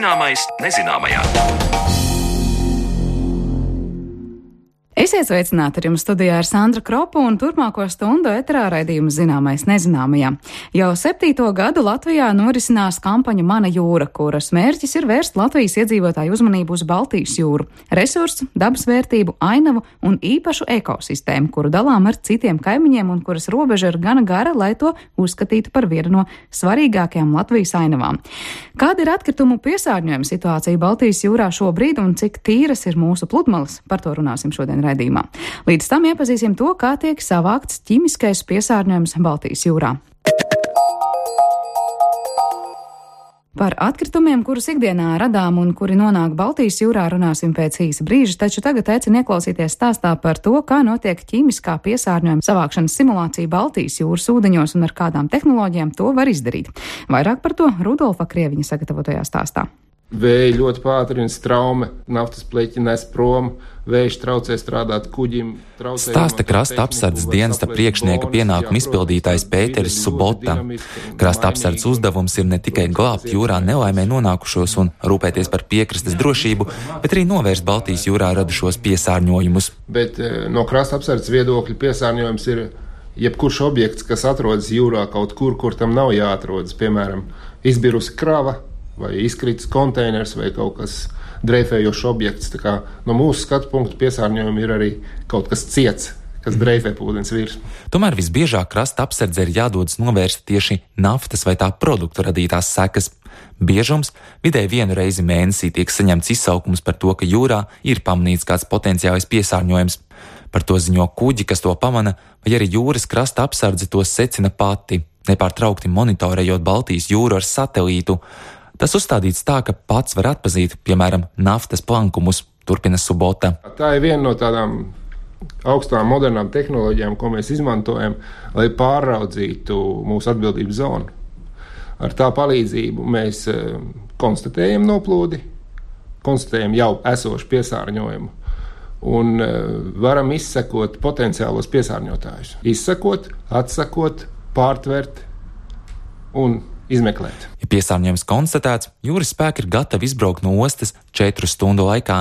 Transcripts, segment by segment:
Zināmais nezināmajā. Esiet sveicināti, ar jums studijā ir Sandra Kropa un turpmāko stundu eterā raidījums Zināmais nezināmajā. Jau 7. gadu Latvijā norisinās kampaņa Mana jūra, kuras mērķis ir vērst Latvijas iedzīvotāju uzmanību uz Baltijas jūru, resursu, dabas vērtību, ainavu un īpašu ekosistēmu, kuru dalām ar citiem kaimiņiem un kuras robeža ir gana gara, lai to uzskatītu par vienu no svarīgākajām Latvijas ainavām. Kāda ir atkritumu piesārņojuma situācija Baltijas jūrā šobrīd un cik tīras ir mūsu pludmales? Par to runāsim šodien raidījumā. Līdz tam iepazīsim to, kā tiek savākts ķimiskais piesārņojums Baltijas jūrā. Par atkritumiem, kurus ikdienā radām un kuri nonāk Baltijas jūrā, runāsim pēc īsa brīža, taču tagad aicinu ieklausīties stāstā par to, kā notiek ķimiskā piesārņojuma savākšanas simulācija Baltijas jūras ūdeņos un ar kādām tehnoloģijām to var izdarīt. Vairāk par to Rudolfa Krieviņa sagatavotajā stāstā. Vēja ļoti pātrina straume, naftas pleķi nes prom, vējš traucē strādāt kuģim. Stāsta krasta apsardzes dienesta priekšnieka pienākumu izpildītājs Pēteris Subota. Krasta apsardzes uzdevums ir ne tikai glābt jūrā nelaimē nonākušos un rūpēties par piekrastes drošību, bet arī novērst Baltijas jūrā radušos piesārņojumus. Bet no krasta apsardzes viedokļa piesārņojums ir jebkurš objekts, kas atrodas jūrā kaut kur, kur tam nav jāatrodas, piemēram, izbirusi krava, vai izkritis konteiners, vai kaut kas dreifējošs objekts. Tā kā no mūsu skatu punktu piesārņojumi ir arī kaut kas ciets, kas dreifē ūdens virsmu. Tomēr visbiežāk krasta apsardze ir jādodas novērst tieši naftas vai tā produktu radītās sekas. Biežums vidēji vienu reizi mēnesī tiek saņemts izsaukums par to, ka jūrā ir pamanīts kāds potenciālais piesārņojums. Par to ziņo kuģi, kas to pamana, vai arī jūras krasta apsardze to secina pati, nepārtraukti monitorējot Baltijas jūru ar satelītu. Tas uzstādīts tā, ka pats var atpazīt, piemēram, naftas plankumus, turpina Subota. Tā ir viena no tādām augstām modernām tehnoloģijām, ko mēs izmantojam, lai pāraudzītu mūsu atbildības zonu. Ar tā palīdzību mēs konstatējam noplūdi, konstatējam jau esošu piesārņojumu un varam izsekot potenciālos piesārņotājus. Izsekot, atsakot, pārtvert un izmeklēt. Ja piesārņojums konstatēts, jūras spēki ir gatavi izbraukt no ostas 4 stundu laikā.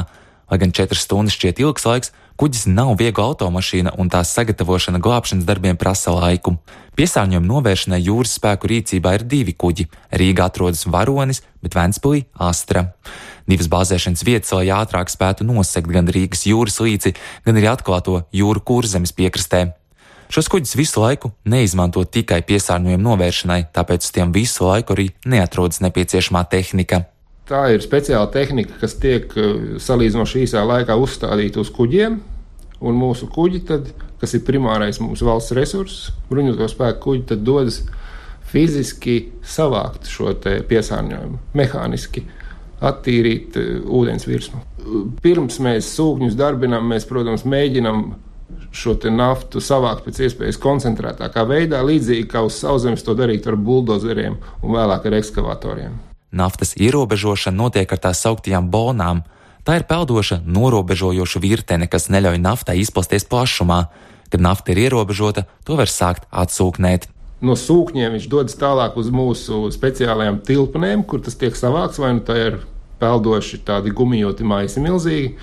Lai gan 4 stundas šķiet ilgs laiks, kuģis nav viegla automašīna un tās sagatavošana glābšanas darbiem prasa laiku. Piesārņojuma novēršanai jūras spēku rīcībā ir 2 kuģi. Rīgā atrodas Varonis, bet Ventspilī Astra. 2 bāzēšanas vietas, lai ātrāk spētu nosegt gan Rīgas jūras līci, gan arī atklāto jūru Kurzemes piekrastē. Šos kuģus visu laiku neizmanto tikai piesārņojuma novēršanai, tāpēc uz tiem visu laiku arī neatrodas nepieciešamā tehnika. Tā ir speciāla tehnika, kas tiek salīdzinoši īsā laikā uzstādīta uz kuģiem, un mūsu kuģi, tad, kas ir primārais mūsu valsts resurss, bruņoto spēku kuģi, tad dodas fiziski savākt šo te piesārņojumu, mehāniski attīrīt ūdens virsmu. Pirms mēs sūkņus darbinām, mēs, protams, mēģinām šo te naftu savākt pēc iespējas koncentrētākā veidā, līdzīgi kā uz sauszemes to darīt ar buldozeriem un vēlāk ar ekskavatoriem. Naftas ierobežošana notiek ar tā sauktajām bonām. Tā ir peldoša, norobežojoša virtene, kas neļauj naftai izplasties plašumā. Kad nafta ir ierobežota, to var sākt atsūknēt. No sūkņiem viņš dodas tālāk uz mūsu speciālajām tilpnēm, kur tas tiek savākts, vai nu tā ir peldoši tādi gumijoti maisi milzīgi,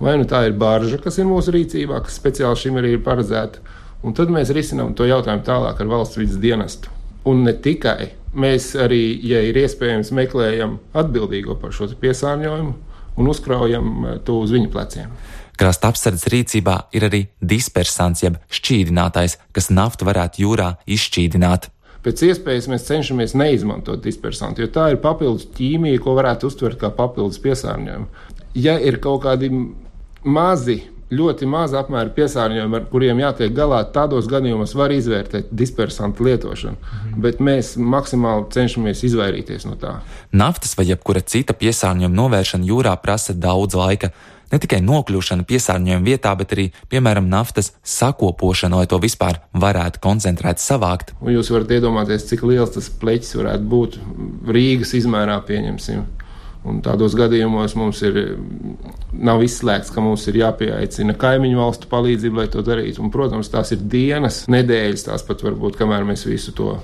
vai nu tā ir barža, kas ir mūsu rīcībā, kas speciāli šim arī ir paredzēta. Un tad mēs risinām to jautājumu tālāk ar valsts vides dienestu. Un ne tikai. Mēs arī, ja ir iespējams, meklējam atbildīgo par šo piesārņojumu un uzkraujam to uz viņu pleciem. Krasta apsardzes rīcībā ir arī dispersants, jeb šķīdinātājs, kas naftu varētu jūrā izšķīdināt. Pēc iespējas mēs cenšamies neizmantot dispersantu, jo tā ir papildus ķīmija, ko varētu uztvert kā papildus piesārņojumu. Ja ir kaut kādi mazi, ļoti maza apmēra piesārņojumi, ar kuriem jātiek galā, tādos gadījumos var izvērtēt dispersantu lietošanu, bet mēs maksimāli cenšamies izvairīties no tā. Naftas vai jebkura cita piesārņojuma novēršana jūrā prasa daudz laika. Ne tikai nokļūšana piesārņojuma vietā, bet arī, piemēram, naftas sakopošana, lai to vispār varētu koncentrēt savākt. Un jūs varat iedomāties, cik liels tas pleķis varētu būt Rīgas izmērā, pieņemsim. Un tādos gadījumos mums nav izslēgts, ka mums ir jāpieaicina kaimiņu valstu palīdzību, lai to darītu. Un, protams, tās ir dienas, nedēļas, tās pat varbūt, kamēr mēs visu to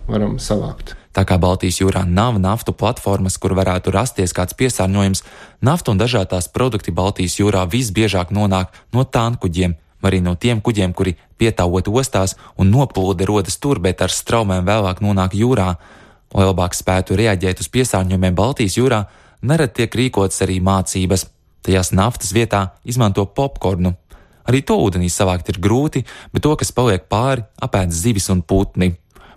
varam savākt. Tā kā Baltijas jūrā nav naftu platformas, kur varētu rasties kāds piesārņojums, nafta un dažādās produkti Baltijas jūrā visbiežāk nonāk no tānkuģiem, vai arī no tiem kuģiem, kuri pietāvot ostās un noplūde rodas tur, bet ar straumēm vēlāk nonāk jūrā. Lai labāk spētu reaģēt uz piesārņojumiem Baltijas jūrā, nerad tiek rīkotas arī mācības. Tajās naftas vietā izmanto popkornu. Arī to ūdenī savākt ir grūti, bet to, kas paliek pāri, apēd zivis un putni.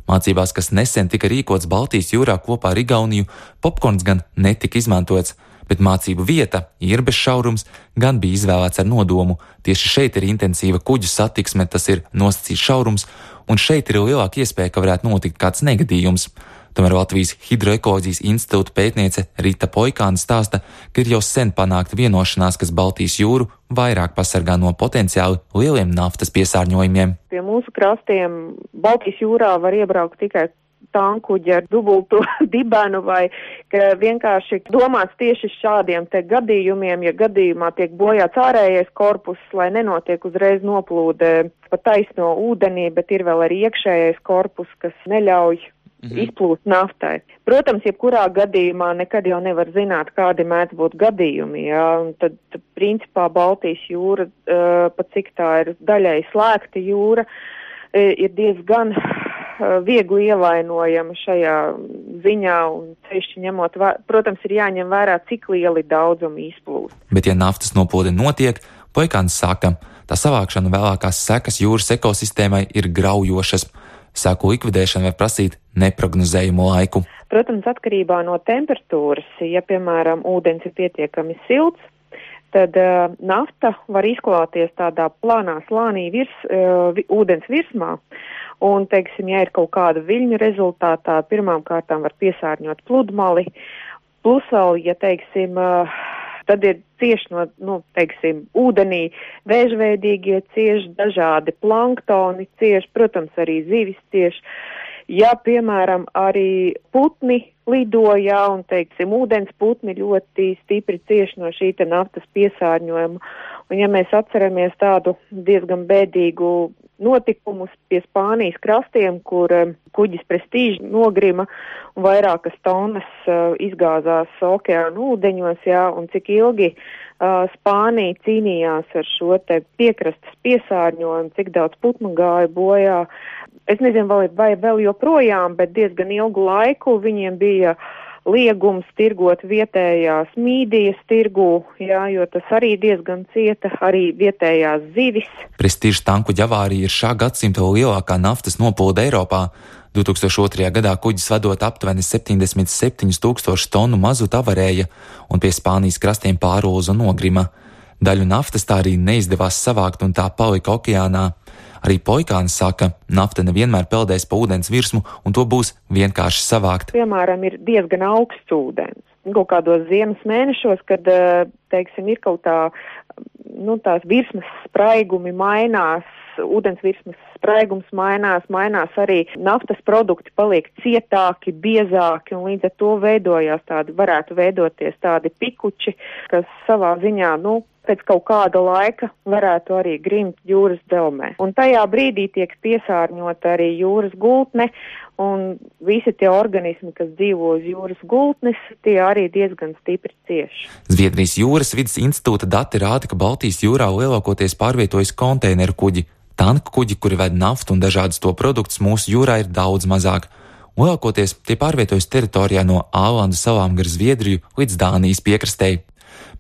Mācībās, kas nesen tika rīkots Baltijas jūrā kopā ar Igauniju, popkorns gan netika izmantots, bet mācību vieta, Irbes šaurums, gan bija izvēlēts ar nodomu. Tieši šeit ir intensīva kuģu satiksme, tas ir nosacīts šaurums, un šeit ir lielāka iespēja, ka varētu notikt kāds negadījums. Tomēr Latvijas Hidroekoloģijas institūta pētniece Rita Poikāne stāsta, ka ir jau sen panākta vienošanās, kas Baltijas jūru vairāk pasargā no potenciāli lieliem naftas piesārņojumiem. Pie mūsu krastiem Baltijas jūrā var iebraukt tikai tankuģi ar dubultu dibenu vai ka vienkārši domāts tieši šādiem te gadījumiem, ja gadījumā tiek bojāts ārējais korpus, lai nenotiek uzreiz noplūde pa taisno ūdenī, bet ir vēl arī iekšējais korpus, kas neļauj izplūst naftai. Protams, jebkurā gadījumā nekad jau nevar zināt, kādi mēdz būt gadījumi, jā, un tad principā Baltijas jūra, pat cik tā ir daļai slēgta jūra, ir diezgan viegli ievainojama šajā ziņā, un tieši ņemot, protams, ir jāņem vērā, cik lieli daudzumi izplūst. Bet ja naftas noplūde notiek, Poikāns saka, tā savākšana vēlākās sekas jūras ekosistēmai ir graujošas. Sēku likvidēšana var prasīt neprognozējumu laiku. Protams, atkarībā no temperatūras, ja, piemēram, ūdens ir pietiekami silts, tad nafta var izklāties tādā plānā slānī ūdens virsmā. Un, teiksim, ja ir kaut kāda viļņu rezultātā, pirmām kārtām var piesārņot pludmali. Plus vēl, ja, teiksim, tad ir cieši no, teiksim, ūdenī vēžveidīgie cieši, dažādi planktoni cieši, protams, arī zivis cieši. Ja, piemēram, arī putni lidoja un, teiksim, ūdens putni ļoti stipri cieši no šī te naftas piesārņojuma. Un, ja mēs atceramies tādu diezgan bēdīgu notikumus pie Spānijas krastiem, kur kuģis Prestīža nogrima un vairākas tonnas izgāzās okeāna ūdeņos, jā, un cik ilgi Spānija cīnījās ar šo te piekrastes piesārņojumu, cik daudz putnu gāja bojā. Es nezinu, vai vēl joprojām, bet diezgan ilgu laiku viņiem bija liegums tirgot vietējās mīdijas tirgū, jā, jo tas arī diezgan cieta, arī vietējās zivis. Prestīža tankuģa avārija ir šā gadsimta lielākā naftas noplūde Eiropā. 2002. gadā kuģis vadot aptuveni 77 000 tonu mazuta avarēja un pie Spānijas krastiem pārulza nogrima. Daļu naftas tā arī neizdevās savākt un tā palika okeānā. Arī Poikāns saka, nafta nevienmēr peldēs pa ūdens virsmu un to būs vienkārši savākt. Piemēram, ir diezgan augsts ūdens. Kaut kādos ziemas mēnešos, kad, teiksim, ir kaut tā, tās virsmas spraigumi mainās, ūdens virsmas spraigums mainās arī naftas produkti paliek cietāki, biezāki un līdz ar to varētu veidoties tādi pikuči, kas savā ziņā, pēc kaut kāda laika varētu arī grimt jūras dzelmē. Un tajā brīdī tiek piesārņota arī jūras gultne, un visi tie organismi, kas dzīvo uz jūras gultnes, tie arī diezgan stipri cieši. Zviedrijas jūras vides institūta dati rāda, ka Baltijas jūrā lielākoties pārvietojas konteineru kuģi. Tanku kuģi, kuri ved naftu un dažādus to produktus, mūsu jūrā ir daudz mazāk. Lielākoties tie pārvietojas teritorijā no Ālandu salām gar Zviedriju līdz Dānijas piekrastei.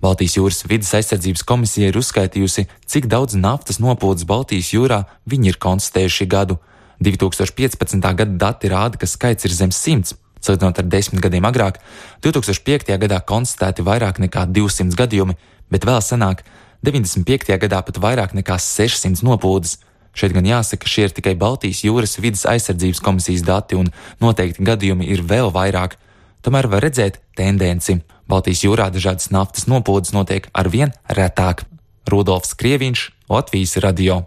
Baltijas jūras vides aizsardzības komisija ir uzskaitījusi, cik daudz naftas noplūdes Baltijas jūrā viņi ir konstatējuši gadu. 2015. gada dati rāda, ka skaits ir zem 100. Salīdzinot ar 10 gadiem agrāk, 2005. gadā konstatēti vairāk nekā 200 gadījumi, bet vēl senāk 95. gadā pat vairāk nekā 600 noplūdes. Šeit gan jāsaka, šie ir tikai Baltijas jūras vides aizsardzības komisijas dati un noteikti gadījumi ir vēl vairāk. Tomēr var redzēt tendenci. Baltijas jūrā dažādas naftas noplūdes notiek arvien retāk. Rudolfs Krieviņš, Latvijas radio.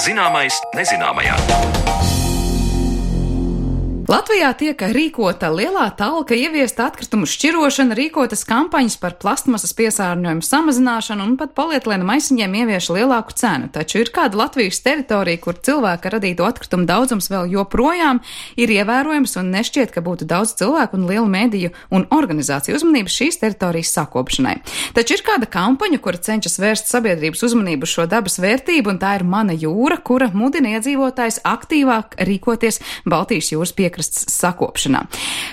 Zināmais nezināmajā. Latvijā tiek rīkota lielā talka, ieviesta atkritumu šķirošana, rīkotas kampaņas par plastmasas piesārņojumu samazināšanu un pat polietilenam maisiņiem ievieš lielāku cenu. Taču ir kāda Latvijas teritorija, kur cilvēka radīto atkritumu daudzums vēl joprojām ir ievērojams un nešķiet, ka būtu daudz cilvēku un lielu mediju un organizāciju uzmanības šīs teritorijas sakopšanai. Taču ir kāda kampaņa, kura cenšas vērst sabiedrības uzmanību šo dabas vērtību, un tā ir Mana jūra, kura mudina iedzīvotājs aktīvāk rīkoties Baltijas jūras piekrastes sakopšanā.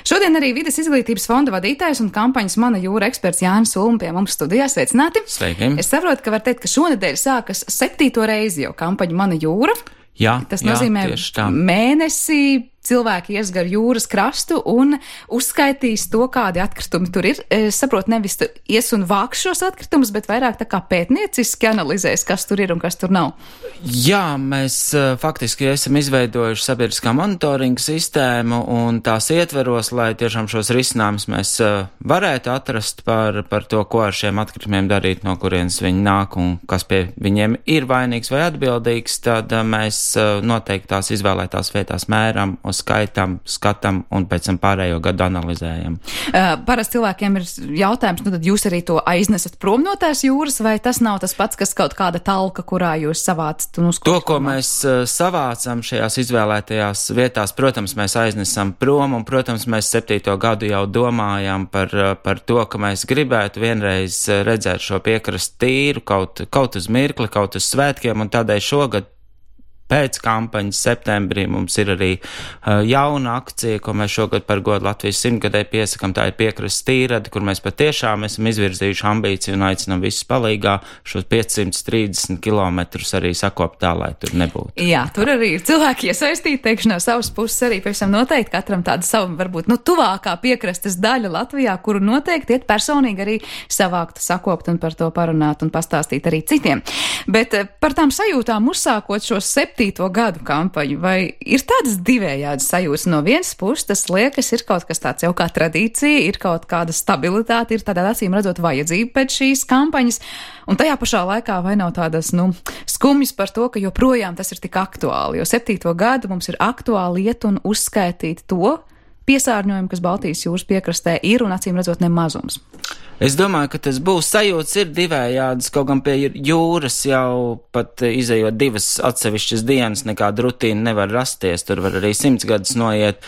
Šodien arī Vides izglītības fonda vadītājs un kampaņas Mana jūra eksperts Jānis Ulma pie mums studijā. Sveicināti! Sveiki! Es saprotu, ka var teikt, ka šonedēļ sākas 7. reizi jau kampaņa Mana jūra. Jā, tas nozīmē mēnesi cilvēki ies gar jūras krastu un uzskaitīs to, kādi atkritumi tur ir. Es saprotu, nevis ies un vāks šos atkritumus, bet vairāk tā kā pētnieciski analizēs, kas tur ir un kas tur nav. Jā, mēs faktiski esam izveidojuši sabiedriskā monitoringa sistēmu un tās ietveros, lai tiešām šos risinājumus mēs varētu atrast par to, ko ar šiem atkritumiem darīt, no kurienes viņi nāk un kas pie viņiem ir vainīgs vai atbildīgs, tad mēs noteikti tās izvēlētās vietās mēram, skaitam, skatam un pēc tam pārējo gadu analizējam. Parasti cilvēkiem ir jautājums, nu tad jūs arī to aiznesat prom no tās jūras, vai tas nav tas pats, kas kaut kāda talka, kurā jūs savācat un uzklāt? To, ko mēs savācam šajās izvēlētajās vietās, protams, mēs aiznesam prom, un, protams, mēs 7. gadu jau domājam par to, ka mēs gribētu vienreiz redzēt šo piekrastu tīru, kaut uz mirkli, kaut uz svētkiem, un tādēļ šogad pēc kampaņas septembrī mums ir arī jauna akcija, ko mēs šogad par godu Latvijas 100-gadē piesakam. Tā ir piekrastes tīrade, kur mēs patiešām esam izvirzījuši ambīciju un aicinām visus palīgā šos 530 kilometrus arī sakopt tā, lai tur nebūtu. Jā, tur arī ir cilvēki iesaistīti, teikšu no savas puses arī pavisam noteikti katram tāda savu, varbūt, tuvākā piekrastes daļa Latvijā, kuru noteikti iet personīgi arī savākt, sakopt un par to parunāt un pastāstīt arī citiem. Bet par tām sajūtām uzsākot šos 7. gadu kampaņu, vai ir tādas divējādas sajūtas? No vienas puses, tas liekas, ir kaut kas tāds jau kā tradīcija, ir kaut kāda stabilitāte, ir tādā acīm redzot vajadzība pēc šīs kampaņas, un tajā pašā laikā vai nav tādas, skumjas par to, ka joprojām tas ir tik aktuāli, jo 7. gadu mums ir aktuāli iet un uzskaitīt to piesārņojumu, kas Baltijas jūras piekrastē ir un acīm redzot nemazums. Es domāju, ka tas būs sajūtas ir divējādas, kaut gan pie jūras jau pat izejot 2 atsevišķas dienas, nekāda rutīna nevar rasties, tur var arī 100 gadus noiet.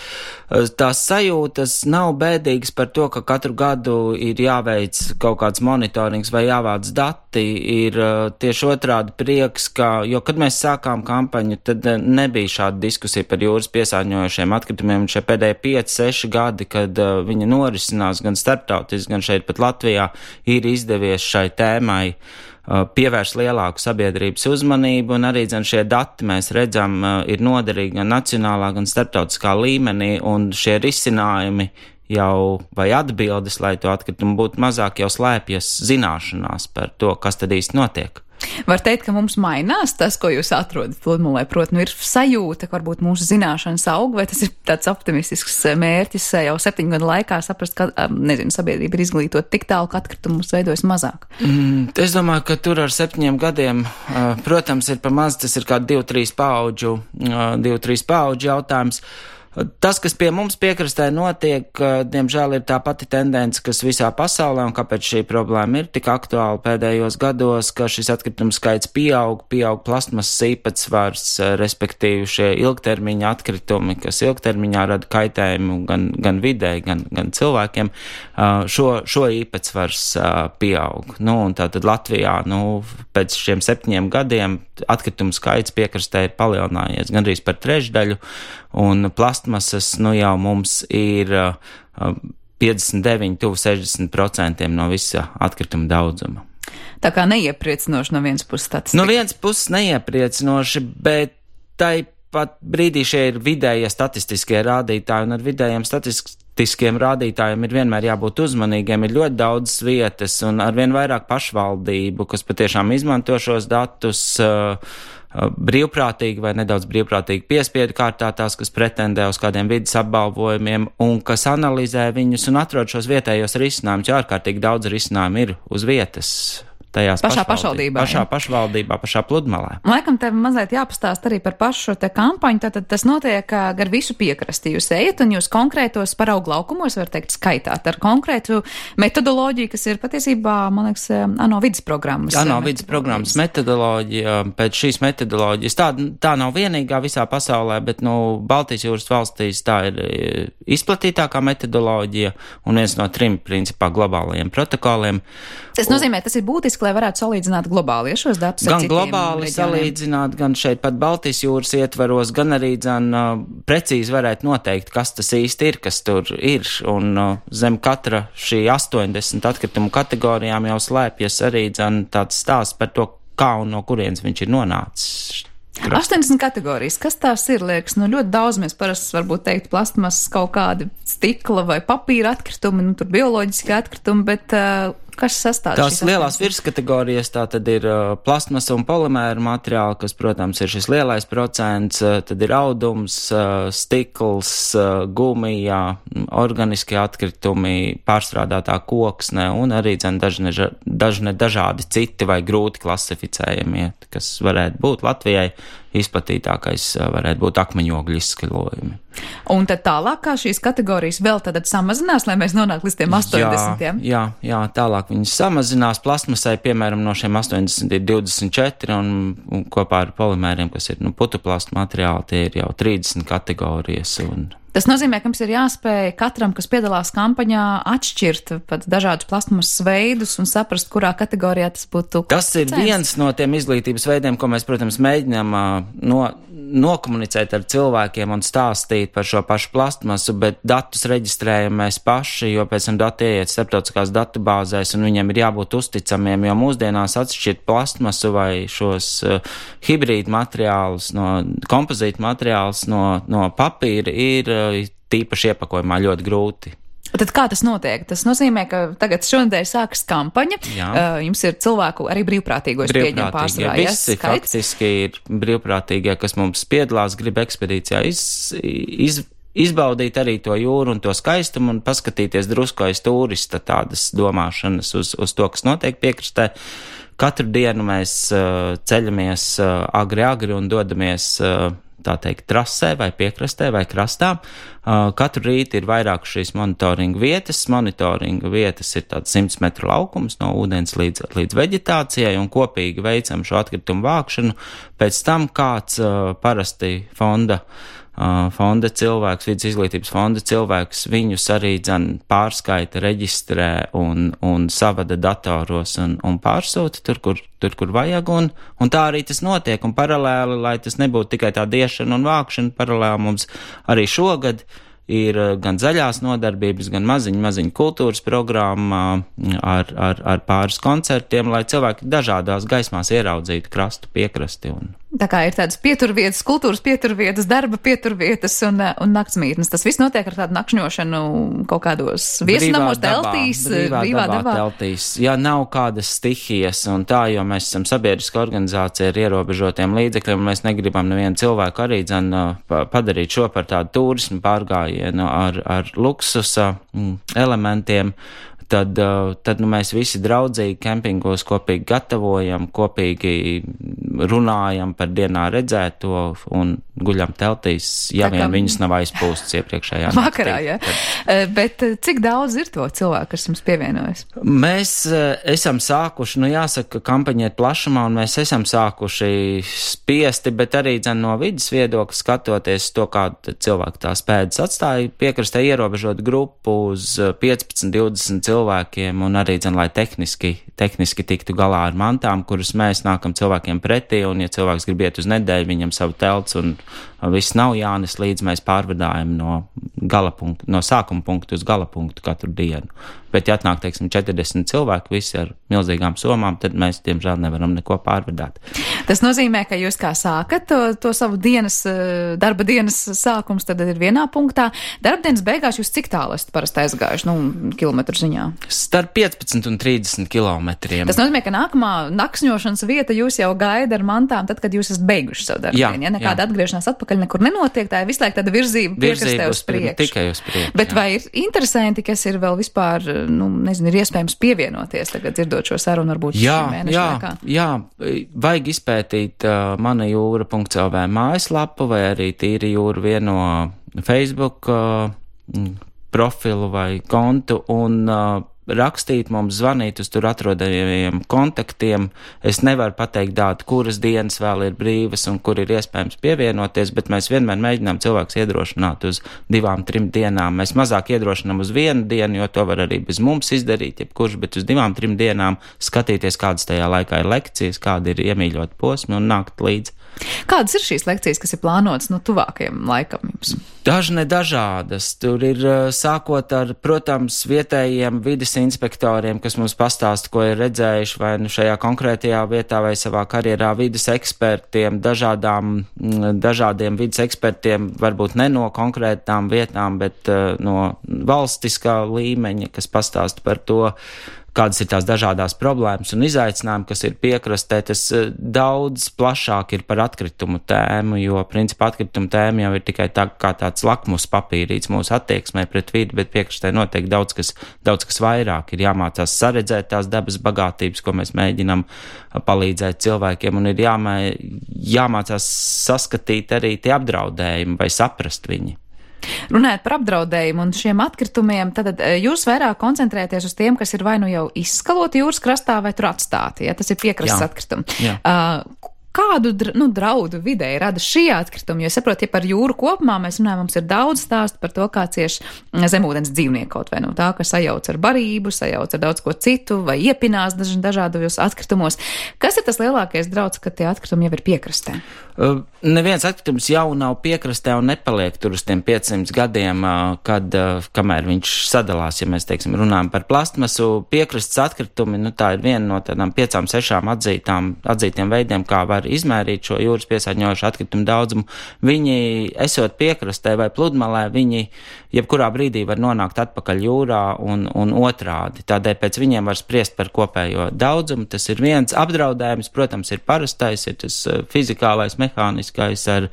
Tās sajūtas nav bēdīgas par to, ka katru gadu ir jāveic kaut kāds monitorings vai jāvāc dati, ir tieši otrādi prieks, jo kad mēs sākām kampaņu, tad nebija šāda diskusija par jūras piesārņojošiem atkritumiem, un šie pēdējie 5-6 gadi, kad viņa norisinās gan starptautiski, gan šeit pat Latvijā, ir izdevies šai tēmai pievērst lielāku sabiedrības uzmanību, un arī šie dati mēs redzam ir noderīgi gan nacionālā, gan starptautiskā līmenī, un šie risinājumi jau vai atbildes, lai to atkritumu būtu mazāk, jau slēpjas zināšanās par to, kas tad īsti notiek. Var teikt, ka mums mainās tas, ko jūs atrodat pludmalē, proti, ir sajūta, ka varbūt mūsu zināšanas aug, vai tas ir tāds optimistisks mērķis jau 7 gadu laikā saprast, ka, sabiedrība ir izglītot tik tālu, ka atkritumus veidojas mazāk? Es domāju, ka tur ar 7 gadiem, protams, ir pa maz, tas ir kā 2-3 paudžu jautājums. Tas, kas pie mums piekrastē notiek, diemžēl ir tā pati tendence, kas visā pasaulē, un kāpēc šī problēma ir tik aktuāla pēdējos gados, ka šis atkritumu skaits pieaug plastmasas īpatsvars, respektīvi šie ilgtermiņa atkritumi, kas ilgtermiņā rada kaitējumu gan videi, gan cilvēkiem, šo īpatsvars pieaug. Un tātad Latvijā, pēc šiem 7 gadiem atkritumu skaits piekrastē ir palielinājies gandrīz par 3/3, un plastmasas jau mums ir 59, tuvu 60% no visa atkrituma daudzuma. Tā kā neiepriecinoši no vienas puses statistika. No vienas puses neiepriecinoši, bet tai pat brīdī šie ir vidējie statistiskie rādītāji, un ar vidējiem statistiskiem rādītājiem ir vienmēr jābūt uzmanīgiem. Ir ļoti daudz vietas un arvien vairāk pašvaldību, kas patiešām izmanto šos datus brīvprātīgi vai nedaudz brīvprātīgi piespiedu kārtā, tās, kas pretendē uz kādiem vidas apbalvojumiem un kas analizē viņus un atrod šos vietējos risinājumus, jo ārkārtīgi daudz risinājumu ir uz vietas. tajās pašvaldībā. Pašā pašvaldībā, pašā pludmalē. Laikam tev mazliet jāpastāst arī par pašu te kampaņu, tātad tas notiek gar visu piekrasti. Jūs ejat un jūs konkrētos paraugu laukumos, var teikt, skaitāt ar konkrētu metodoloģiju, kas ir patiesībā, man liekas, ANO vidas programmas. ANO vidas programmas metodoloģija, pēc šīs metodoloģijas, tā nav vienīgā visā pasaulē, bet, Baltijas jūras valstīs tā ir izplatītākā metodoloģija un viens no 3, principā, globālajiem protokoliem. Tas nozīmē, tas ir būtiski, lai varētu salīdzināt globāli šos datus ar gan citiem globāli reģioniem. Salīdzināt, gan šeit pat Baltijas jūras ietvaros, gan arī precīzi varētu noteikt, kas tas īsti ir, kas tur ir, un zem katra šī 80 atkritumu kategorijām jau slēpjas arī tāds stāsts par to, kā un no kurienes viņš ir nonācis. 80 kategorijas, kas tās ir, liekas, ļoti daudz mēs parasti varbūt teikt plastmasas kaut kādi stikla vai papīra atkritumi, tur bioloģiski atkritumi, bet kas sastāv tās lielās virskategorijas, tā tad ir plastmasa un polimēra materiāli, kas, protams, ir šis lielais procents, tad ir audums, stikls, gumija, organiskie atkritumi, pārstrādātā koksne un arī dažādi citi vai grūti klasificējamie, kas varētu būt Latvijai. Izplatītākais varētu būt akmeņogļu izskaļojumi. Un tad tālāk, kā šīs kategorijas vēl tad samazinās, lai mēs nonāktu līdz tiem 80? Jā, tālāk viņas samazinās. Plastmasai, piemēram, no šiem 80 ir 24 un kopā ar polimēriem, kas ir putuplastu materiāli, tie ir jau 30 kategorijas. Tas nozīmē, ka mums ir jāspēj katram, kas piedalās kampaņā, atšķirt pat dažādus plastmasas veidus un saprast, kurā kategorijā tas būtu. Tas ir viens no tiem izglītības veidiem, ko mēs, protams, mēģinām nokomunicēt ar cilvēkiem un stāstīt par šo pašu plastmasu, bet datus reģistrējam mēs paši, jo pēc tam dati ieiet starptautiskās datubāzēs un viņiem ir jābūt uzticamiem, jo mūsdienās atšķirt plastmasu vai šos hibrīdu materiālus, kompozītu materiālus no papīra ir tīpaši iepakojumā ļoti grūti. Tad kā tas notiek? Tas nozīmē, ka tagad šonadēļ sākas kampaņa. Jums ir cilvēku arī brīvprātīgos pieņem pārsvarā. Visi faktiski ir brīvprātīgie, kas mums piedalās, grib ekspedīcijā izbaudīt arī to jūru un to skaistumu un paskatīties drusku aiz turista tādas domāšanas uz to, kas notiek piekrastē. Katru dienu mēs ceļamies agri un dodamies tā teikt, trasē vai piekrastē vai krastā. Katru rītu ir vairāk šīs monitoringa vietas. Monitoringa vietas ir tāds 100 metru laukums no ūdens līdz veģetācijai un kopīgi veicam šo atkritumu vākšanu. Pēc tam kāds parasti fonda cilvēks, vidas izglītības fonda cilvēks, viņus arī pārskaita, reģistrē un savada datoros un pārsūta tur, kur vajag, un tā arī tas notiek, un paralēli, lai tas nebūtu tikai tā diešana un vākšana, paralēli mums arī šogad ir gan zaļās nodarbības, gan maziņa kultūras programma ar pāris koncertiem, lai cilvēki dažādās gaismās ieraudzītu krastu piekrasti. Tā kā ir tādas pieturvietas, kultūras pieturvietas, darba pieturvietas un naktsmītnes. Tas viss notiek ar tādu nakšņošanu kaut kādos viesunamos teltīs, brīvā dabā. Teltīs. Ja nav kādas stihijas un tā, jo mēs esam sabiedriska organizācija ar ierobežotiem līdzekļiem, mēs negribam nevienu cilvēku arī padarīt šo par tādu turismu pārgājienu ar luksusa elementiem. Tad mēs visi draudzīgi kempingos kopīgi gatavojam, kopīgi runājam par dienā redzēto un guļam teltīs, ja vien viņas nav aizpūstas iepriekšējā naktī. Vakarā, ja. Bet cik daudz ir to cilvēku, kas jums pievienojas? Mēs esam sākuši, jāsaka, kampaņa ir plašumā, un mēs esam sākuši spiesti, bet arī no vidas viedokļa skatoties to, kādu cilvēku tās pēdas atstāja, piekrastē ierobežot grupu uz 15-20 cilvēkiem, un arī, lai tehniski tiktu galā ar mantām, kuras mēs nākam cilvēkiem pretī, un ja cilvēks grib iet uz nedēļu, viņam savu telts, un viss nav jānes līdz, mēs pārvadājam no sākuma punktu uz gala punktu katru dienu. Bet, ja atnāk, teiksim, 40 cilvēki, visi ar milzīgām somām, tad mēs, diemžēl, nevaram neko pārvadāt. Tas nozīmē, ka jūs kā sākat to savu darba dienas sākums, tad ir vienā punktā. Darbdienas beigās jūs cik tālu esat parasti aizgājuši, kilometru ziņā? Starp 15 un 30 kilometriem. Tas nozīmē, ka nākamā nakšņošanas vieta jūs jau gaida ar mantām, tad, kad jūs esat beiguši savu darbu dienu. Ja nekāda atgriešanās atpakaļ nekur nenotiek, tā ir visu laiku tāda virzība piekrastē uz priekšu. Tikai uz priekšu. Bet vai ir interesanti, kas ir vēl vispār, ir iespējams pievienoties tagad dzirdot šo sarunu varbūt šī mēneša laikā? Jā, vajag izpētīt manajūra.lv mājaslapu vai arī Tīra jūra vieno Facebook profilu vai kontu un rakstīt mums, zvanīt uz tur atrodamiem kontaktiem. Es nevaru pateikt dātu, kuras dienas vēl ir brīvas un kur ir iespējams pievienoties, bet mēs vienmēr mēģinām cilvēks iedrošināt uz 2-3 dienām. Mēs mazāk iedrošinām uz 1 dienu, jo to var arī bez mums izdarīt, jebkurš, bet uz 2-3 dienām skatīties, kādas tajā laikā ir lekcijas, kādi ir iemīļot posmi un nākt līdzi. Kādas ir šīs lekcijas, kas ir plānotas tuvākajam laikam jums? Dažādas. Tur ir sākot ar, protams, vietējiem vides inspektoriem, kas mums pastāsta, ko ir redzējuši vai šajā konkrētajā vietā vai savā karjerā, vides ekspertiem, dažādiem vides ekspertiem, varbūt ne no konkrētām vietām, bet no valstiskā līmeņa, kas pastāsta par to, kādas ir tās dažādās problēmas un izaicinājumi, kas ir piekrastē. Tas daudz plašāk ir par atkritumu tēmu, jo principā atkritumu tēma jau ir tikai kā tāds lakmus papīrīts mūsu attieksmē pret vidi, bet piekrastē notiek daudz kas vairāk. Ir jāmācās saredzēt tās dabas bagātības, ko mēs mēģinam palīdzēt cilvēkiem, un ir jāmācās saskatīt arī tie apdraudējumi vai saprast viņi. Runājot par apdraudējumu un šiem atkritumiem, tad jūs vairāk koncentrēties uz tiem, kas ir vai nu jau izskaloti jūras krastā vai tur atstāti, ja tas ir piekrastes atkritumi. Kādu draudu videi rada šī atkrituma? Jo es saprotu, ja par jūru kopumā mēs runājam, mums ir daudz stāstu par to, kā cieši zemūdens dzīvnieki kaut vai no tā, ka sajauc ar barību, sajauc ar daudz ko citu vai iepinās dažādos atkritumos. Kas ir tas lielākais drauds, ka tie atkritumi jau ir piekrastē? Neviens atkritums jau nav piekrastē un nepaliek tur uz tiem 500 gadiem, kamēr viņš sadalās, ja mēs, teiksim, runājam par plastmasu. Piekrastes atkritumi, tā ir viena no tādām 5-6 atzītiem veidiem, kā var izmērīt šo jūras piesārņojošu atkritumu daudzumu. Viņi, esot piekrastē vai pludmalē, viņi jebkurā brīdī var nonākt atpakaļ jūrā un otrādi. Tādēļ pēc viņiem var spriest par kopējo daudzumu. Tas ir viens apdraudējums, protams, ir parastais, ir tas fizikālais, mehāniskais ar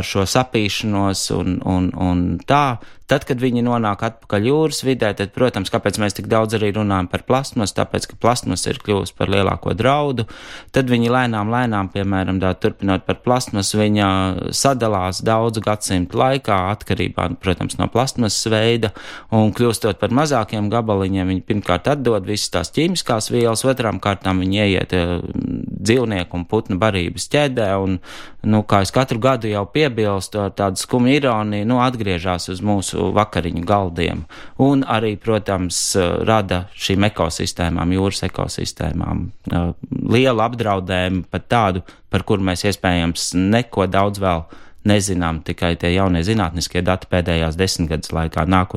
šo sapīšanos un tā. Tad, kad viņi nonāk atpakaļ jūras vidē, tad, protams, kāpēc mēs tik daudz arī runājam par plastmasu, tāpēc, ka plastmasa ir kļuvusi par lielāko draudu. Tad viņi lēnām, piemēram, turpinot par plastmasu, viņa sadalās daudzu gadsimtu laikā, atkarībā, protams, no plastmasas veida, un kļūstot par mazākiem gabaliņiem, viņi pirmkārt atdod visas tās ķīmiskās vielas, otrām kārtām viņi ieiet dzīvnieku un putnu barības ķēdē, un, kā es katru gadu jau piebilstu ar tādu skumu ironiju, atgriežās uz mūsu vakariņu galdiem. Un arī, protams, rada šīm ekosistēmām, jūras ekosistēmām lielu apdraudējumu, pat tādu, par kuru mēs iespējams neko daudz vēl nezinām, tikai tie jaunie zinātniskie dati pēdējās 10 gadus laikā nāk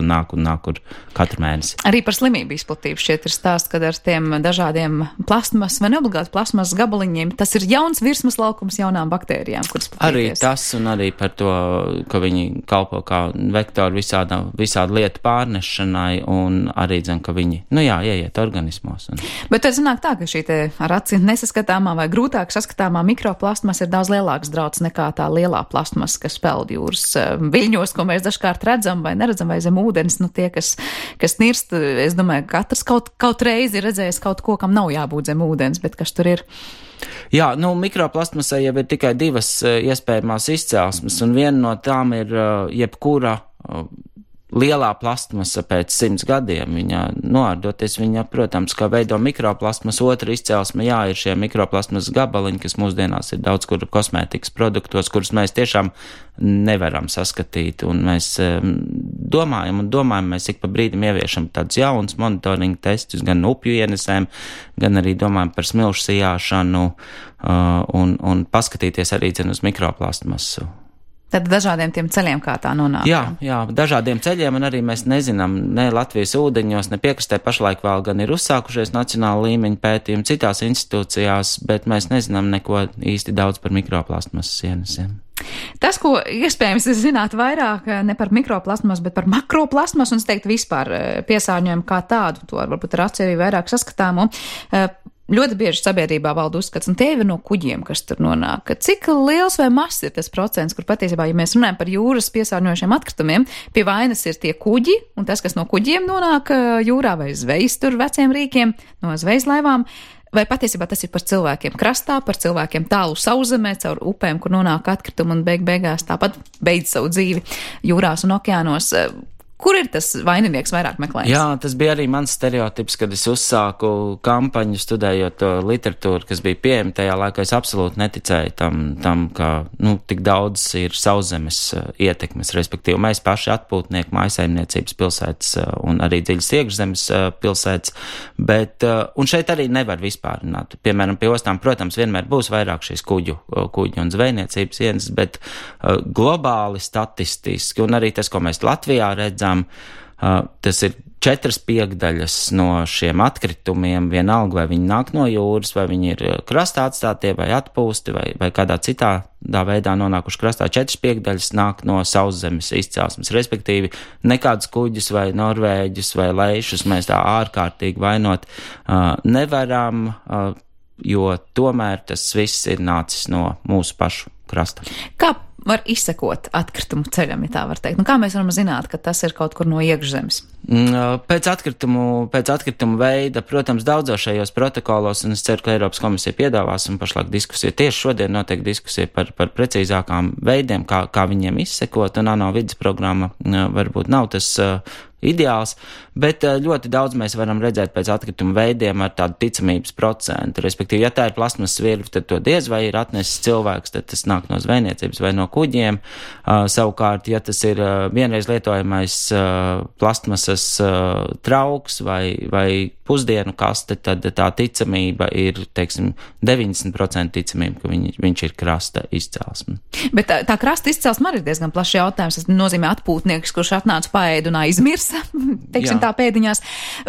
katru mēnesi. Arī par slimību izplatību šķiet ir stāsts, kad ar tiem dažādiem plasmas vai neobligāti plasmas gabaliņiem, tas ir jauns virsmas laukums jaunām baktērijām, kuras platīties. Arī tas un arī par to, ka viņi kalpo kā vektori visādu lietu pārnešanai un arī, ka viņi, ieiet organismos. Bet tad sanāk tā, ka šī te ar aci nesaskatāmā vai grūtāk saskatāmā mikroplasmas ir daudz lielāks drauds nekā tā lielā plasmas, kas peld jūras viļņos, ko mēs dažkārt redzam vai neredzam vai zem ūdens. Tie, kas nirst, es domāju, katrs kaut reizi ir redzējis kaut ko, kam nav jābūt zem ūdens, bet kas tur ir? Jā, mikroplastmasai jau ir tikai 2 iespējamās izcelsmes, un viena no tām ir jebkura lielā plastmasa pēc 100 gadiem. Viņa noārdoties, viņa, protams, kā veido mikroplastmas. Otra izcelsme, ir šie mikroplastmas gabaliņi, kas mūsdienās ir daudz kur kosmētikas produktos, kurus mēs tiešām nevaram saskatīt. Un mēs domājam, mēs ik pa brīdim ieviešam tādus jaunus monitoringa testus, gan upju ienesēm, gan arī domājam par smilšu sijāšanu un paskatīties arī uz mikroplastmasu. Tad dažādiem tiem ceļiem, kā tā nonāk. Jā, dažādiem ceļiem, un arī mēs nezinām, ne Latvijas ūdeņos, ne piekrastē pašlaik vēl gan ir uzsākušies nacionāla līmeņa pētījumi citās institūcijās, bet mēs nezinām neko īsti daudz par mikroplastmasas ienesiem. Tas, ko iespējams es zinātu vairāk ne par mikroplastmasu, bet par makroplastmasu, un es teiktu vispār piesārņojumu kā tādu, to varbūt ar aci arī vairāk saskatāmu. Ļoti bieži sabiedrībā valda uzskats, un tie ir no kuģiem, kas tur nonāk. Cik liels vai mazs ir tas procents, kur patiesībā, ja mēs runājam par jūras piesārņojušiem atkritumiem, pie vainas ir tie kuģi, un tas, kas no kuģiem nonāk jūrā vai zvejas tur veciem rīkiem, no zvejas laivām, vai patiesībā tas ir par cilvēkiem krastā, par cilvēkiem tālu sauszemē, caur upēm, kur nonāk atkritumi un beigās tāpat beidz savu dzīvi jūrās un okeānos. Kur ir tas vaininieks vairāk meklējums? Jā, tas bija arī mans stereotips, kad es uzsāku kampaņu studējot to literatūru, kas bija pieejama tajā laikā. Es absolūti neticēju tam ka, tik daudz ir sauszemes ietekmes, respektīvi mēs paši atpūtnieki, mājasaimniecības pilsētas un arī dziļas iekšzemes pilsētas, bet, un šeit arī nevar vispārināt. Piemēram, pie ostām, protams, vienmēr būs vairāk šīs kuģu un zvejniecības ienes, bet globāli statistiski, un arī tas, ko mēs Latvijā redzam, tas ir 4/5 no šiem atkritumiem, vienalga, vai viņi nāk no jūras, vai viņi ir krastā atstātie, vai atpūsti, vai kādā citādā veidā nonākuši krastā. 4/5 nāk no sauszemes izcelsmes, respektīvi nekādus kuģus vai norvēģus vai leišus mēs tā ārkārtīgi vainot nevaram, jo tomēr tas viss ir nācis no mūsu pašu krasta. Kā var izsekot atkritumu ceļam, ja tā var teikt? Kā mēs varam zināt, ka tas ir kaut kur no iekšzemes? Pēc atkritumu veida, protams, daudzos šajos protokolos, un es ceru, ka Eiropas komisija piedāvās, un pašlaik diskusija, tieši šodien notiek diskusija par precīzākām veidiem, kā viņiem izsekot, un ANO vides programma varbūt nav tas ideāls, bet ļoti daudz mēs varam redzēt pēc atkrituma veidiem ar tādu ticamības procentu. Respektīvi, ja tā ir plasmasas virve, tad to diez vai ir atnesis cilvēks, tad tas nāk no zvejniecības vai no kuģiem. Savukārt, ja tas ir vienreiz lietojamais plastmasas trauks vai pusdienu kaste, tad tā ticamība ir, teiksim, 90% ticamība, ka viņš ir krasta izcelsme. Bet tā krasta izcelsme arī ir diezgan plašs jautājums. Tas nozīmē atpūtnieks, kurš atnāca paēdu un aizmirs, teiksim tā pēdiņās,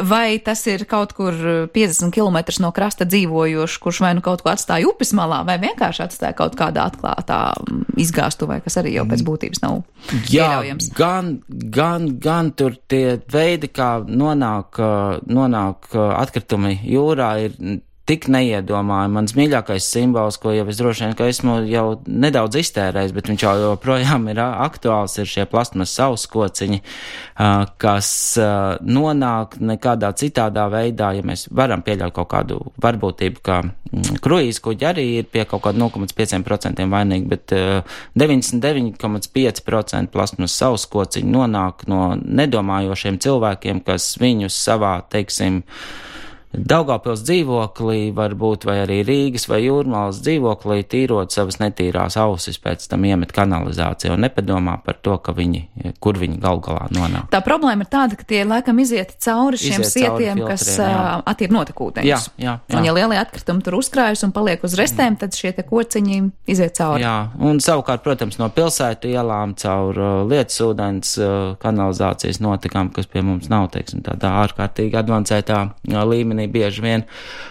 vai tas ir kaut kur 50 km no krasta dzīvojošs, kurš vai nu kaut ko atstāja upes malā, vai vienkārši atstāja kaut kādā atklātā izgāstuvē, kas arī jau pēc būtības nav pieļaujams. Gan tur tie veidi, kā nonāk atkritumi jūrā, ir tik neiedomājami. Mans mīļākais simbols, ko jau es droši vien, ka esmu jau nedaudz iztērējis, bet viņš jau joprojām ir aktuāls, ir šie plasmas sauskociņi, kas nonāk nekādā citādā veidā, ja mēs varam pieļaut kaut kādu varbūtību, ka kruīzes kuģi arī ir pie kaut kāda 0,5% vainīgi, bet 99,5% plasmas sauskociņi nonāk no nedomājošiem cilvēkiem, kas viņus savā, teiksim, Daugavpils dzīvoklī, varbūt, vai arī Rīgas vai Jūrmalas dzīvoklī, tīrot savas netīrās ausis, pēc tam iemet kanalizāciju un nepadomā par to, kur viņi gal galā nonāk. Tā problēma ir tāda, ka tie laikam iziet cauri šiem sietiem, kas attiep notekūdeņus. Jā. Un ja lielie atkritumi tur uzkrājas un paliek uz restēm, tad šie te kociņi iziet cauri. Jā, un savukārt, protams, no pilsētu ielām caur lietusūdens kanalizācijas notekām, kas pie mums nav, teiksim, tādā ārkārtīgi advancētā līmenī, bieži vien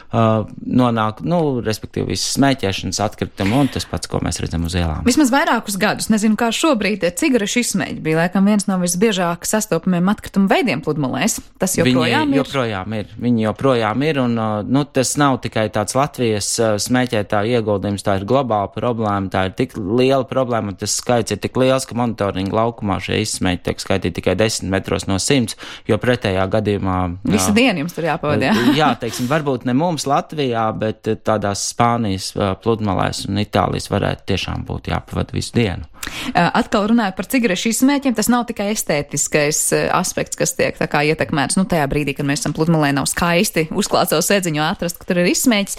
nonāk, respektīvi visas smēķēšanas atkritumi un tas pats, ko mēs redzam uz ielām. Vismaz vairākus gadus, nezinu, kā šobrīd, cigarešu izsmeļi bija laikam viens no visbiežāk sastopamiem atkritumu veidiem pludmalēs. Tas joprojām ir? Viņi joprojām ir, un tas nav tikai tāds Latvijas smēķētāju ieguldījums, tā ir globāla problēma, tā ir tik liela problēma, un tas skaits ir tik liels, ka monitoringa laukumā šie izsmeļi tiek skaitīti tikai 10 metros no 100, jo pretējā gadījumā visu dienu jums tur jāpavadī. Jā, teiksim, varbūt ne mums Latvijā, bet tādās Spānijas pludmalēs un Itālijas varētu tiešām būt jāpavada visu dienu. Atkal runājot par cigarešu izsmēķiem, tas nav tikai estētiskais aspekts, kas tiek tā kā ietekmēts. Tajā brīdī, kad mēs esam pludmalē, nav skaisti uzklāt savu sēdziņu atrast, ka tur ir izsmēķis.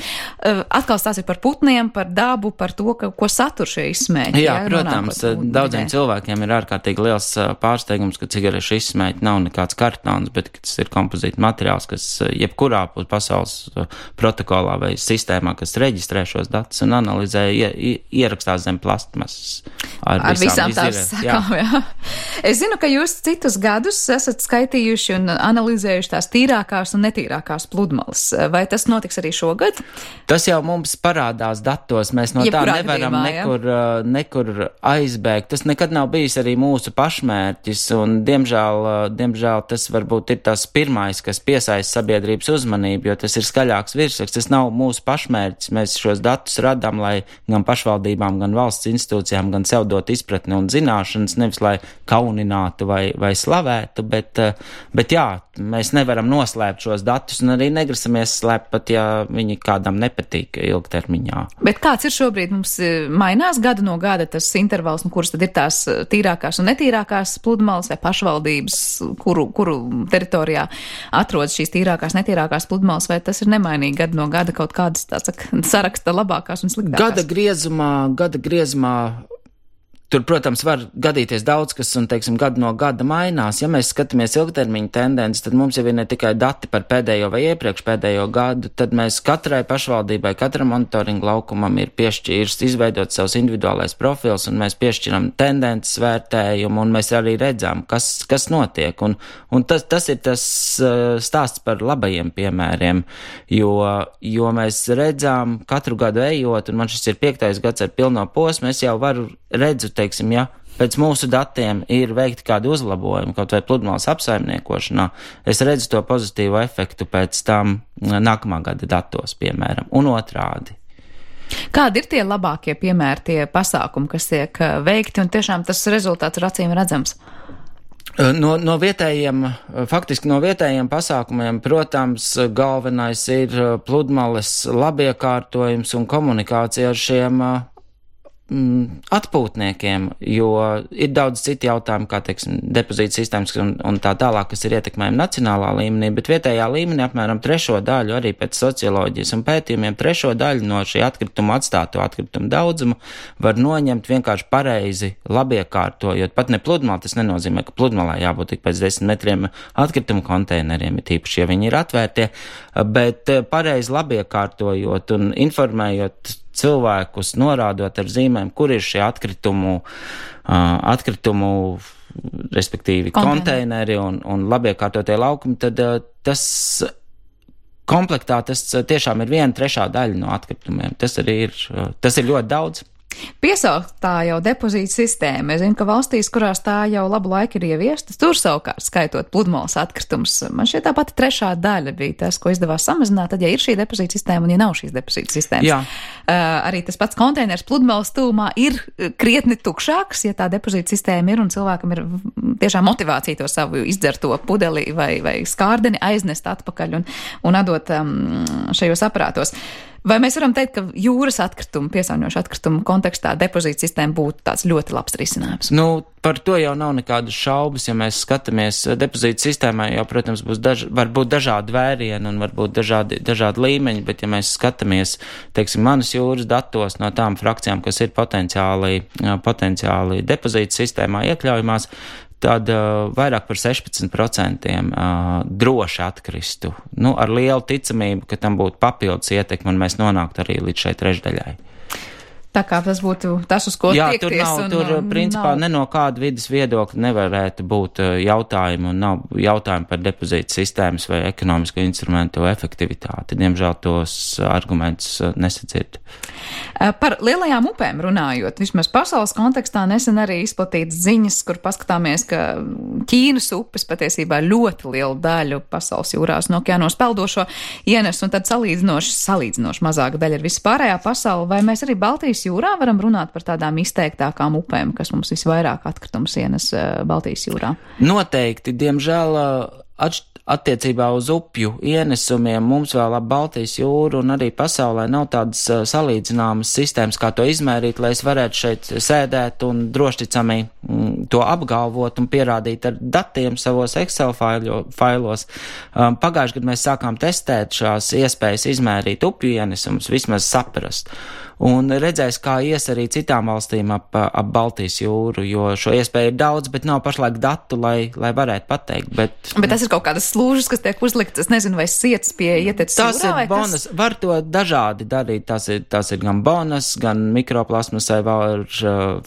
Atkal stāsts ir par putniem, par dabu, par to, ko satur šie izsmēķi. Jā, protams, daudziem cilvēkiem ir ārkārtīgi liels pārsteigums, ka cigarešu izsmēķi nav nekāds kartons, bet tas ir kompozīta materiāls, kas jebkurā pasaules protokolā vai sistēmā, kas reģistrē šos datus un analizē, ierakstās zem plastmasas. ar visām tās sakām, jā. Es zinu, ka jūs citus gadus esat skaitījuši un analizējuši tās tīrākās un netīrākās pludmales. Vai tas notiks arī šogad? Tas jau mums parādās datos, mēs no tā nevaram nekur aizbēgt. Tas nekad nav bijis arī mūsu pašmērķis, un diemžēl tas varbūt ir tas pirmais, kas piesaista sabiedrības uzmanību, jo tas ir skaļāks virsraksts. Tas nav mūsu pašmērķis. Mēs šos datus radām, lai gan pašvaldībām, gan valsts institūcijām, gan sev dot izpratni un zināšanas, nevis lai kauninātu vai slavētu, bet jā, mēs nevaram noslēpt šos datus un arī negrasamies slēpt pat, ja viņi kādam nepatīk ilgtermiņā. Bet kāds ir šobrīd? Mums mainās gadu no gada tas intervals, un kuras tad ir tās tīrākās un netīrākās pludmales vai pašvaldības, kuru teritorijā atrodas šīs tīrākās, netīrākās pludmales, vai tas ir nemainīgi gadu no gada kaut kādas, tā saka, saraksta labākās un sliktākās? Gada griezumā tur, protams, var gadīties daudz, kas, un, teiksim, gadu no gada mainās. Ja mēs skatāmies ilgtermiņa tendenci, tad mums jau ir ne tikai dati par pēdējo vai iepriekš pēdējo gadu, tad mēs katrai pašvaldībai, katram monitoringu laukumam ir piešķīrs, izveidot savus individuālais profils, un mēs piešķiram tendences vērtējumu, un mēs arī redzam, kas notiek. Un tas ir tas stāsts par labajiem piemēriem, jo mēs redzam katru gadu ejot, un man šis ir 5. gads ar pilno posmu, es jau redzu, teiksim, ja pēc mūsu datiem ir veikti kādi uzlabojumi, kaut vai pludmales apsaimniekošanā, es redzu to pozitīvo efektu pēc tam nākamā gada datos, piemēram, un otrādi. Kādi ir tie labākie piemēri, tie pasākumi, kas tiek veikti, un tiešām tas rezultāts ir acīm redzams? No vietējiem pasākumiem, protams, galvenais ir pludmales labiekārtojums un komunikācija ar šiem atpūtniekiem, jo ir daudz citu jautājumu, kā, teiksim, depozīta sistēmas un tā tālāk, kas ir ietekmējami nacionālā līmenī, bet vietējā līmenī apmēram 3. daļu, arī pēc socioloģijas un pētījumiem, 3. daļu no šī atkrituma atstāto atkritumu daudzumu var noņemt vienkārši pareizi labiekārtojot. Pat ne pludmalē, tas nenozīmē, ka pludmalē jābūt tik pēc 10 metriem atkritumu konteineriem, ir tīpaši, ja viņi ir atvērtie, bet pareizi labiekārtojot un informējot cilvēkus, norādot ar zīmēm, kur ir šie atkritumu, respektīvi konteineri un labiekārtotie laukumi, tad tas komplektā tas tiešām ir 1/3 daļa no atkritumiem. Tas ir ļoti daudz. Piesaukt tā jau depozīta sistēma. Es zinu, ka valstīs, kurās tā jau labu laiku ir ieviesta, tur savukārt skaitot pludmales atkritumus. Man šķiet tā pati 3. daļa bija tas, ko izdevās samazināt, tad, ja ir šī depozīta sistēma un ja nav šīs depozīta sistēmas. Jā. Arī tas pats konteiners pludmales tūmā ir krietni tukšāks, ja tā depozīta sistēma ir un cilvēkam ir tiešām motivācija to savu izdzerto pudeli vai skārdeni aiznest atpakaļ un atdot šajos aparātos. Vai mēs varam teikt, ka jūras atkritumu, piesārņojošu atkritumu kontekstā depozīta sistēma būtu tāds ļoti labs risinājums? Par to jau nav nekādas šaubas, ja mēs skatāmies depozīta sistēmā, jau, protams, var būt dažādi vērieni un varbūt dažādi līmeņi, bet ja mēs skatāmies, teiksim, manas jūras datos no tām frakcijām, kas ir potenciāli depozīta sistēmā iekļaujamās, tad vairāk par 16% droši atkristu. Ar lielu ticamību, ka tam būtu papildus ietekme un mēs nonāktu arī līdz šai 3/daļai. Tā kā tas būtu tas, uz ko tiekties. Jā, tur principā ne no kāda vidas viedokļa nevarētu būt jautājumi un nav jautājumi par depozīta sistēmas vai ekonomisko instrumentu efektivitāti. Diemžēl tos argumentus nesadzird. Par lielajām upēm runājot, vismaz pasaules kontekstā nesen arī izplatītas ziņas, kur paskatāmies, ka Ķīnas upes patiesībā ļoti lielu daļu pasaules jūrās un okeānos peldošo ienes, un tad salīdzinoši mazāka daļa ir vispārējā pasaule. Vai mēs arī Baltijas jūrā varam runāt par tādām izteiktākām upēm, kas mums visvairāk atkritumus ienes Baltijas jūrā? Noteikti, diemžēl, attiecībā uz upju ienesumiem mums vēl ap Baltijas jūru un arī pasaulē nav tādas salīdzināmas sistēmas, kā to izmērīt, lai es varētu šeit sēdēt un drošticami to apgalvot un pierādīt ar datiem savos Excel failos. Pagājušajā gadā mēs sākām testēt šās iespējas izmērīt upju ienesumus, vismaz saprast. un redzēs, kā ies arī citām valstīm ap Baltijas jūru, jo šo iespēju ir daudz, bet nav pašlaik datu, lai varētu pateikt. Bet tas ir kaut kādas slūžas, kas tiek uzliktas, es nezinu, vai sietas pie ieteces jūrā? Tas ir bonus, var to dažādi darīt, tas ir gan bonus, gan mikroplasmasai var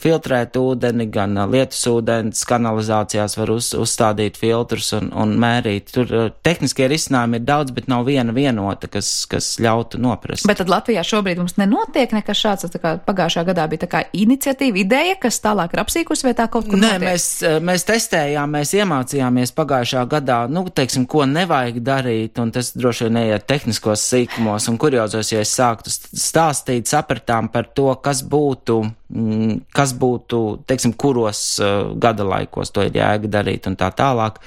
filtrēt ūdeni, gan lietusūdens kanalizācijās var uzstādīt filtrus un mērīt. Tur tehniskie risinājumi ir daudz, bet nav viena vienota, kas ļautu noprast. Bet tad Latvijā šobrīd mums nenotiek nekas šāds, tā kā pagājušā gadā bija tā kā iniciatīva, ideja, kas tālāk ir apsīkusi, vai tā kaut kur notiek? Nē, mēs testējām, mēs iemācījāmies pagājušā gadā, teiksim, ko nevajag darīt, un tas droši vien neiet tehniskos sīkumos un kuriozos, ja es sāktu stāstīt, sapratām par to, kas būtu, teiksim, kuros gada laikos to ir jēga darīt un tā tālāk,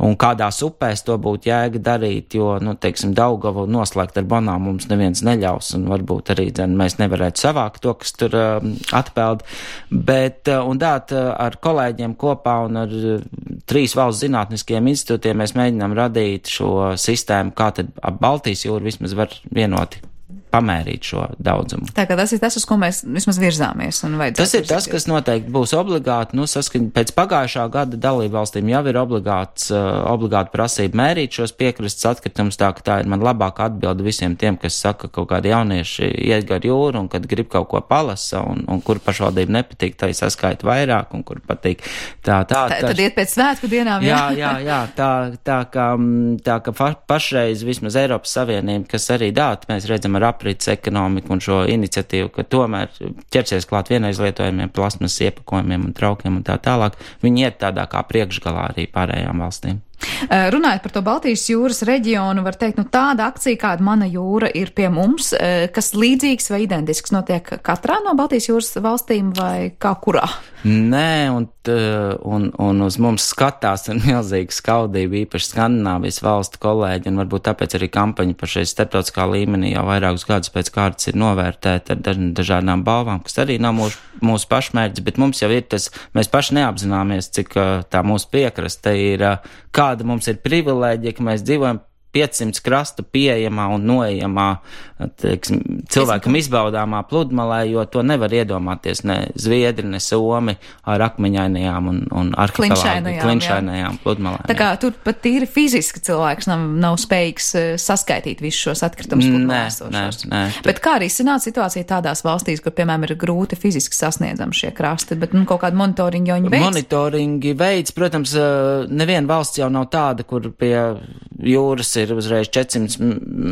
un kādās upēs to būtu jēga darīt, jo, teiksim, Daugavu noslēgt ar banām mums neviens neļaus, un varbūt arī, mēs nevarētu savākt to, kas tur atpeld, bet, un dāt ar kolēģiem kopā un ar 3 valsts zinātniskiem institūtiem mēs mēģinām radīt šo sistēmu, kā tad ap Baltijas jūru vismaz var vienoti pamērīt šo daudzumu. Tā kā tas ir tas, uz ko mēs vismaz virzāmies. Tas ir tas, kas noteikti būs obligāti, saskaņā pēc pagājušā gada dalībvalstīm jau ir obligāti prasība mērīt šos piekrastes atkritumus, tā ka tā ir man labāka atbilde visiem tiem, kas saka, ka kaut kādi jaunieši iet gar jūru un kad grib kaut ko palasa un kur pašvaldība nepatīk, tai saskaita vairāk un kur patīk tā. Tad iet pēc svētku dienām, jā. Tā ka pašreiz vismaz Eiropas Savienība, kas arī mēs redzam ar aprits ekonomiku un šo iniciatīvu, ka tomēr ķersies klāt vienaizlietojumiem, plasmas iepakojumiem un traukiem un tā tālāk, viņi iet tādā kā priekšgalā arī pārējām valstīm. Runājot par to Baltijas jūras reģionu, var teikt, tāda akcija, kāda Mana jūra ir pie mums, kas līdzīgs vai identisks notiek katrā no Baltijas jūras valstīm vai kā kurā? Nē, un uz mums skatās ar milzīgu skaudību, īpaši Skandināvijas valstu kolēģi, un varbūt tāpēc arī kampaņa par šeit starptautiskā līmenī jau vairākus gadus pēc kārtas ir novērtēta ar dažādām balvām, kas arī nav mūsu pašmērķis, bet mums jau ir tas, mēs paši neapzināmies, cik tā mūsu piekraste ir, kāda mums ir privilēģija, ka mēs dzīvojam 500 krastu pieejamā un noejamā, teiksim, cilvēkam izbaudāmā pludmalē, jo to nevar iedomāties ne Zviedri, ne Somi ar akmeņainajām un klinšainajām pludmalēm. Tā kā tur pat tīri fiziski cilvēks nav spējīgs saskaitīt visus šos atkritumus pludmalēs. Nē. Bet kā arī sanāca situācija tādās valstīs, kur, piemēram, ir grūti fiziski sasniedzami šie krasti, bet kaut kādu monitoringu jau viņi veids? Monitoringi veids, protams, neviena valsts jau nav tāda, kur pie jūras ir uzreiz 400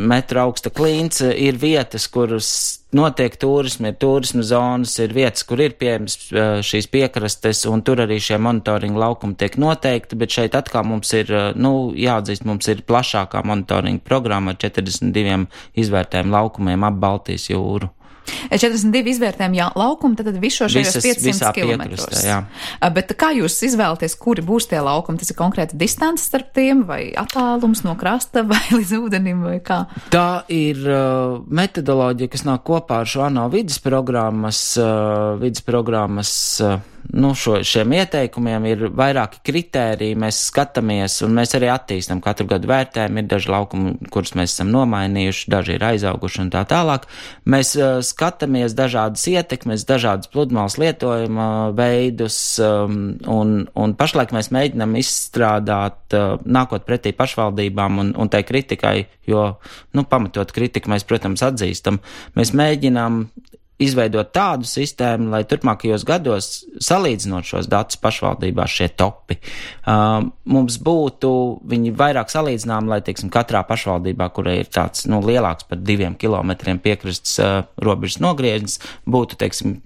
metru augsta klints, ir vietas, kuras notiek turismi, ir turismu zonas, ir vietas, kur ir pieejams šīs piekrastes, un tur arī šie monitoringa laukumi tiek noteikti, bet šeit atkal mums ir, jāatzīst, mums ir plašākā monitoringa programma ar 42 izvērtējumu laukumiem ap Baltijas jūru. 42 izvērtējumi laukumi, tad visu šajos 500 kilometros. Bet kā jūs izvēlaties, kuri būs tie laukumi? Tas ir konkrēta distance starp tiem, vai attālums no krasta, vai līdz ūdenim, vai kā? Tā ir metodoloģija, kas nāk kopā ar šo ANO vides programmas šiem ieteikumiem ir vairāki kritēriji, mēs skatāmies un mēs arī attīstam katru gadu vērtējumu, ir daži laukumi, kurus mēs esam nomainījuši, daži ir aizauguši un tā tālāk. Mēs skatāmies dažādas ietekmes, dažādas pludmales lietojuma veidus un pašlaik mēs mēģinam izstrādāt, nākot pretī pašvaldībām un tai kritikai, jo, pamatot kritiku mēs, protams, atzīstam, mēs mēģinām izveidot tādu sistēmu, lai turpmākajos gados, salīdzinot šos datus pašvaldībās, šie topi, mums būtu viņi vairāk salīdzinām, lai, teiksim, katrā pašvaldībā, kurai ir tāds, lielāks par 2 kilometriem piekrastes robežas nogriežņas, būtu, teiksim,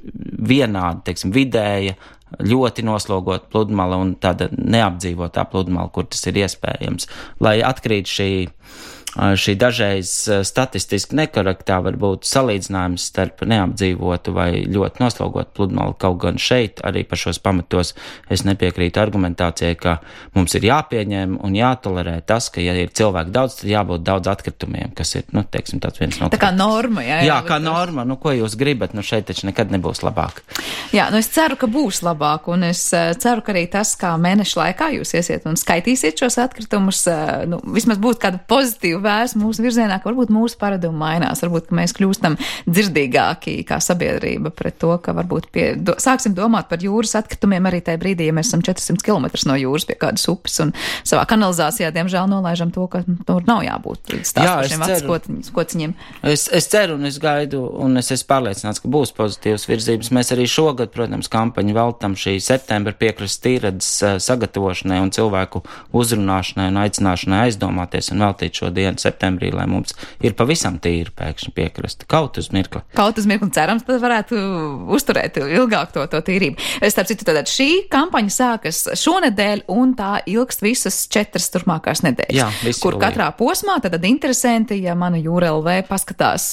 vienādi, teiksim, vidēja, ļoti noslogot pludmala un tāda neapdzīvotā pludmala, kur tas ir iespējams, lai atkrīt šī dažreiz statistiski nekorektā varbūt salīdzinājums starp neapdzīvotu vai ļoti noslogotu pludmali, kaut gan šeit arī par šos pamatos es nepiekrītu argumentācijai, ka mums ir jāpieņem un jātolerē tas, ka ja ir cilvēki daudz, tad jābūt daudz atkritumiem, kas ir, teiksim, tāds viens no... Tā kā norma, jā? Jā, kā norma, ko jūs gribat, šeit taču nekad nebūs labāk. Jā, es ceru, ka būs labāk, un es ceru, ka arī tas, kā mēneša laikā jūs iesiet un skaitīsiet šos atkritumus, vismaz būtu kāda pozitīva vērs mūsu virzienā, ka varbūt mūsu paradumi mainās, varbūt, ka mēs kļūstam dzirdīgāki kā sabiedrība pret to, ka varbūt sāksim domāt par jūras atkritumiem arī tajā brīdī, ja mēs esam 400 km no jūras pie kādas upes un savā kanalizācijā, diemžēl, nolaižam to, ka tur nav jābūt stāstošiem kociņiem. Es ceru un es gaidu, un es esmu pārliecināts, ka būs pozitīvas virzības. Mēs arī šogad, protams, kampaņu veltam šī septembra piekrastes tīredzes sagatavošanai un cilvēku uzrunāšanai un aicināšanai aizdomāties un veltīt šo dienu septembrī, lai mums ir pavisam tīri pēkšņi piekrasta. Kaut uz mirkli. Kaut uz mirkli, cerams, tad varētu uzturēt ilgāk to tīrību. Starp citu, tātad šī kampaņa sākas šonedēļ un tā ilgst visas 4 turpmākās nedēļas. Jā, kur katrā posmā tad interesanti, ja mana Jūra LV paskatās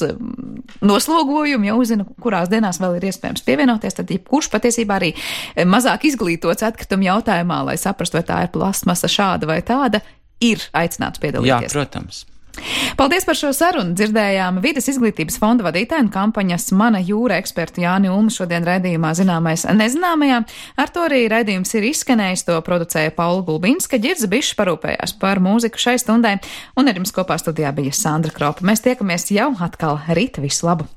noslogojumu, ja uzzina, kurās dienās vēl ir iespējams pievienoties, tad jebkurš patiesībā arī mazāk izglītots atkritumu jautājumā, lai saprastu, vai tā ir plastmasa šāda vai tāda, ir aicināts piedalīties. Jā, protams. Paldies par šo sarunu. Dzirdējām Vides izglītības fonda vadītāju un kampaņas Mana jūra ekspertu Jāni Ulmu šodien raidījumā Zināmais nezināmajā. Ar to arī raidījums ir izskanējis, to producēja Paula Gulbinska, Ģirza Bišs parūpējās par mūziku šai stundai, un ar jums kopā studijā bija Sandra Kropa. Mēs tiekamies jau atkal rīt. Visu labu!